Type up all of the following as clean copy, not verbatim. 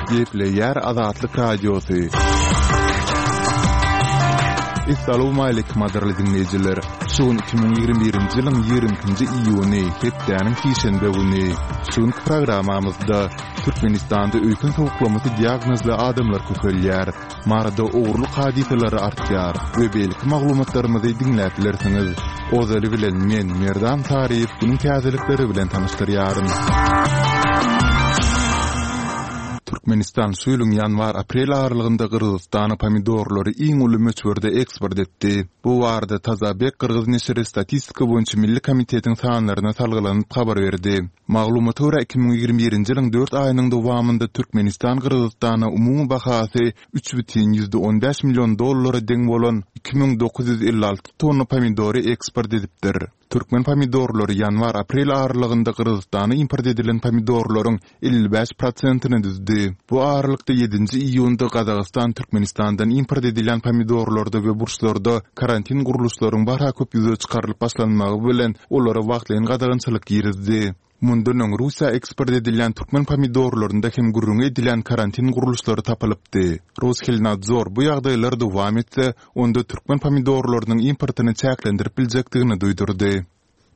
Gepleýär Azatlyk Radiosy. Essalawmaleýkim gadyrly diňleýjiler! Şu gün 2021-nji ýylyň 22-nji iýuny, hepdäniň sişenbe güni. Şu günki programmamyzda Türkmenistanda öýken sowuklamasy diagnozly adamlar köpelýär. Maryda ogurlyk hadysalary artýar we beýleki maglumatlarymyzy diňläp bilersiňiz. Ozaly bilen men, Merdan Saryýew günüň täzelikleri bilen tanyşdyrýaryn. Türkmenistan şu ýylyň ýanwar-aprel aralygynda Gyrgyzystana pomidorlary iň uly möçberde eksport etdi. Bu barada Tazabek gyrgyz neşiri Statistika boýunça milli komitetiň sanlaryna salgylanyp habar berdi. Maglumata görä, 2021-nji ýylyň dört aýynyň dowamynda Türkmenistan Gyrgyzystana umumy bahasy 3,15 million dollara deň bolan 2956 tonna pomidory eksport edipdir. Türkmen pomidorlary ýanwar-aprel aralygynda Gyrgyzystana import edilen pomidorlaryň 55 prosentini düzdi. Bu aralykda ýedinji iýunda Gazagystan Türkmenistandan import edilýän pomidorlarda we burçlarda karantin gurluşlaryň barha köp ýüze çykarylyp başlanmagy bilen olara wagtlaýyn gadagançylyk girizdi. Mundan öň Russiýa eksport edilýän türkmen pomidorlarynda hem gürrüňi edilýän karantin gurluşlary tapylypdy. Roshelnadzor bu ýagdaýlar dowam etse, onda türkmen pomidorlarynyň importyny çäklendirip biljekdigini duýdurdy.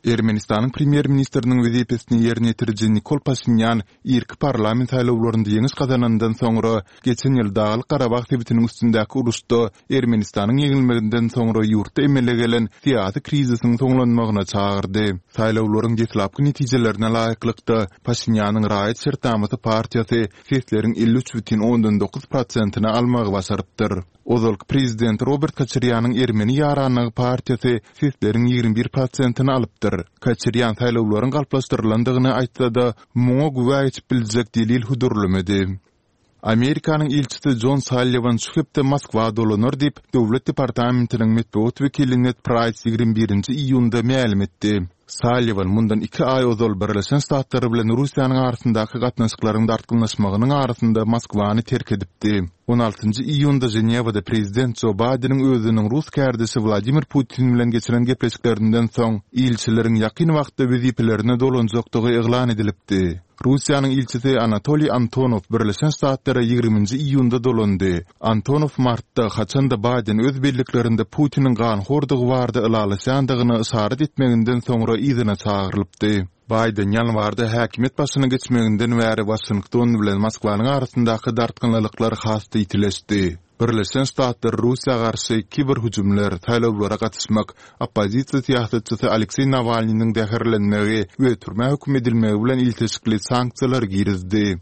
Ermenistanyň premýer-ministriniň wezipesini ýerine ýetiriji Nikol Paşinýan irki parlament saýlawlarynda ýeňiş gazanandan soňra, geçen ýyl Daglyk-Garabag sebitiniň üstündäki uruşda Ermenistanyň ýeňilmeginden soňra ýurtda emele gelen syýasy krizisiň soňlanmagyna çagyrdy. Saýlawlaryň deslapky netijelerine laýyklykda, Paşinýanyň Raýat şertnamasy partiýasy sesleriň 53,9 prosentini almagy başarypdyr. Ozalky prezident Robert Koçarýanyň Ermeni ýaranlygy partiýasy sesleriň 21 prosentini alypdyr. Koçarýan saýlawlaryň galplaşdyrylandygyny aýtsa-da, muňa güwä geçip biljek delil hödürlemedi. Amerikanyň ilçisi Jon Salliwan şu hepde Moskwa dolanar diýip, Döwlet departamentiniň metbugat wekili Ned Praýs 21-nji iýunda mälim etdi. Salliwan mundan iki aý ozal Birleşen Ştatlar bilen Russiýanyň arasyndaky gatnaşyklaryň dartgynlaşmagynyň arasynda Moskwany terk edipdi. On altynjy iýunda Ženewada prezident Jo Baýdeniň özüniň rus kärdeşi Wladimir Putin bilen geçiren gepleşiklerinden soň, ilçileriň ýakyn wagtda wezipelerine dolanjakdygy yglan edilipdi. Russiýanyň ilçisi Anatoliý Antonow Birleşen Ştatlara ýigriminji iýunda dolandy. Antonow martda, haçan-da Baýden öz belliklerinde Putiniň ganhordygy barada ylalaşýandygyna yşarat etmeginden soňra yzyna çagyrylypdy. Baýden ýanwarda häkimiýet başyna geçmeginden bäri Waşington bilen Moskwanyň arasyndaky dartgynlylyklar has-da ýitileşdi. Birleşen Ştatlar Russiýa garşy kiberhüjümler, saýlawlara gatyşmak, oppozisiýa syýasatçysy Alekseý Nawalnynyň zäherlenmegi we türmä höküm edilmegi bilen ilteşikli sanksiýalary girizdi.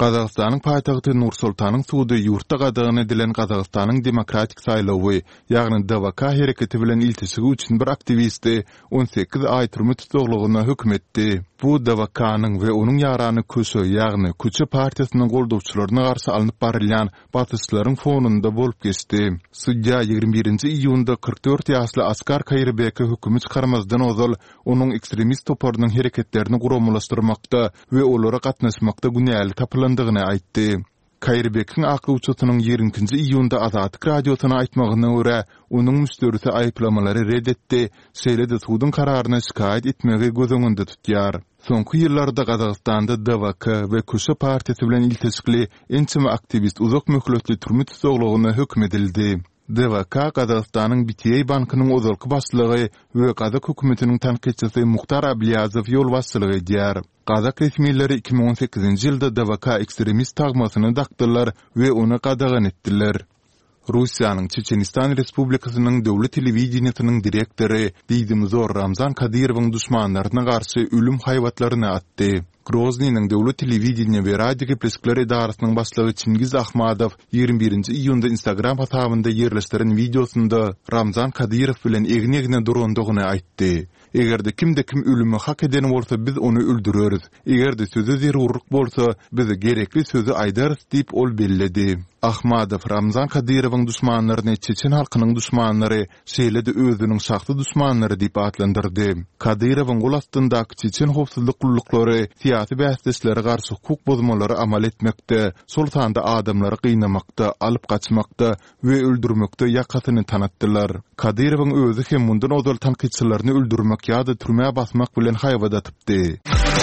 Gazagystanyň paýtagty Nur-Sultanyň sudy ýurtda gadagan edilen Gazagystanyň demokratik saýlawy, ýagny DWK hereketi bilen ilteşigi üçin bir aktiwisti 18 aý türme tussaglygyna höküm etdi. Bu DWK-nyň we onuň ýarany Köşe, ýagny Köçe partiýasynyň goldawçylaryna garşy alnyp barylýan basyşlaryň fonunda bolup geçdi. Sudýa 21-nji iýunda 44 ýaşly Askar Kaýyrbeke hökümi çykarmazdan ozal onuň ekstremist toparynyň hereketlerini guramalaşdyrmakda we olara gatnaşmakda günäli tapylandygyny aýtdy. Kaýyrbekiň aklawçysynyň 22-nji iýunda Azatlyk Radiosyna aýtmagyna görä, onuň müşderisi aýyplamalary red etdi, şeýle-de suduň kararyna şikaýat etmegi göz öňünde tutýar. Soňky ýyllarda Gazagystanda DWK we Köşe partiýasy bilen ilteşikli ençeme aktiwist uzak möhletli türme tussaglygyna höküm edildi. DWK Gazagystanyň BTA bankynyň ozalky başlygy we gazak hökümetiniň tankytçysy Muhtar Ablýazow ýolbaşçylyk edýär. Gazak resmileri 2018-nji ýylda DWK ekstremist tagmasyny dakdylar we ony gadagan etdiler. Russiýanyň Çeçenistan Respublikasynyň döwlet telewideniýesiniň direktory diýdimzor Ramzan Kadyrowyň duşmanlaryna garşy ölüm haýbatlaryny atdy. Groznynyň döwlet telewideniýe we radiogepleşikler edarasynyň başlygy Çingiz Ahmadow 21-nji iýunda Instagram hasabynda ýerleşdiren wideosynda Ramzan Kadyrow bilen egin-egne durandygyny aýtdy. Eger-de kimde-kim ölümi hak eden bolsa biz ony öldüreris. Eger-de söze zerurlyk bolsa, biz gerekli sözi aýdarys diýip ol belledi. Ahmadow Ramzan Kadyrowyň duşmanlaryny çeçen halkynyň duşmanlary, şeýle-de özüniň şahsy duşmanlary diýip atlandyrdy. Kadyrowyň gol astyndaky çeçen howpsuzlyk gulluklary syýasy bäsdeşlere garşy hukuk bozmalary amal etmekde, şol sanda adamlary gynamakda, alyp gaçmakda we öldürmekde ýakasyny tanatdylar. Kadyrowyň özi hem mundan ozal tankytçylaryny öldürmek ýa-da türmä basmak bilen haýbat atypdy.